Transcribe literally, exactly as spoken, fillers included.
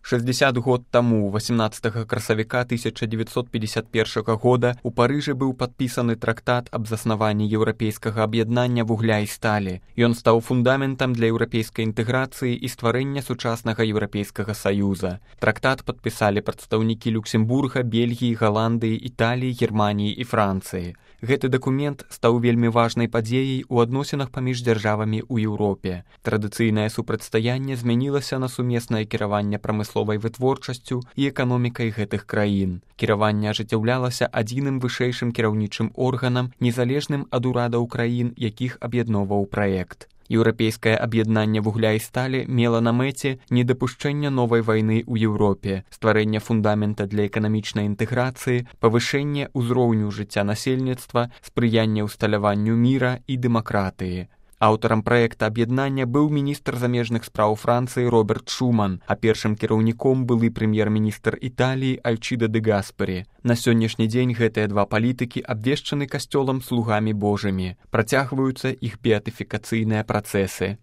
шэсцьдзесят год таму, восемнадцатага красавіка тысяча дзевяцьсот пятьдесят першага года, у Парыжы быў падпісаны трактат аб заснаванні еўрапейскага аб'яднання вугля і сталі. Ён стаў фундаментам для еўрапейскай інтэграцыі і стварэння сучаснага еўрапейскага саюза. Трактат падпісалі прадстаўнікі Люксембурга, Бельгіі, Галандыі, Італіі, Германіі і Францыі. Гэты дакумент стаў вельмі важнай падзеяй у адносінах паміж дзяржавамі ў Еўропе. Традыцыйнае супрацьстаянне змянілася на сумеснае кіраванне прамысловай вытворчасцю і эканомікай гэтых краін. Кіраванне ажыццяўлялася адзіным вышэйшым кіраўнічым органам, незалежным ад урадаў краін, якіх аб'ядноўваў праект. Еўрапейскае аб'яднанне вугля і сталі мела на мэце недапушчэння новай вайны ў Еўропе, стварэнне фундамента для эканамічнай інтэграцыі, павышэнне ўзроўню жыцця насельніцтва, спрыянне ўсталяванню міра і дэмакратыі. Аўтарам праекта аб'яднання быў міністр замежных спраў Францыі Роберт Шуман, а першым кіраўніком былы прэм'ер-міністр Італіі Альчыда дэ Гаспари. На сённяшні дзень гэтыя два палітыкі абвешчаны касцёлам слугамі Божымі. Працягваюцца іх беатыфікацыйныя працэсы.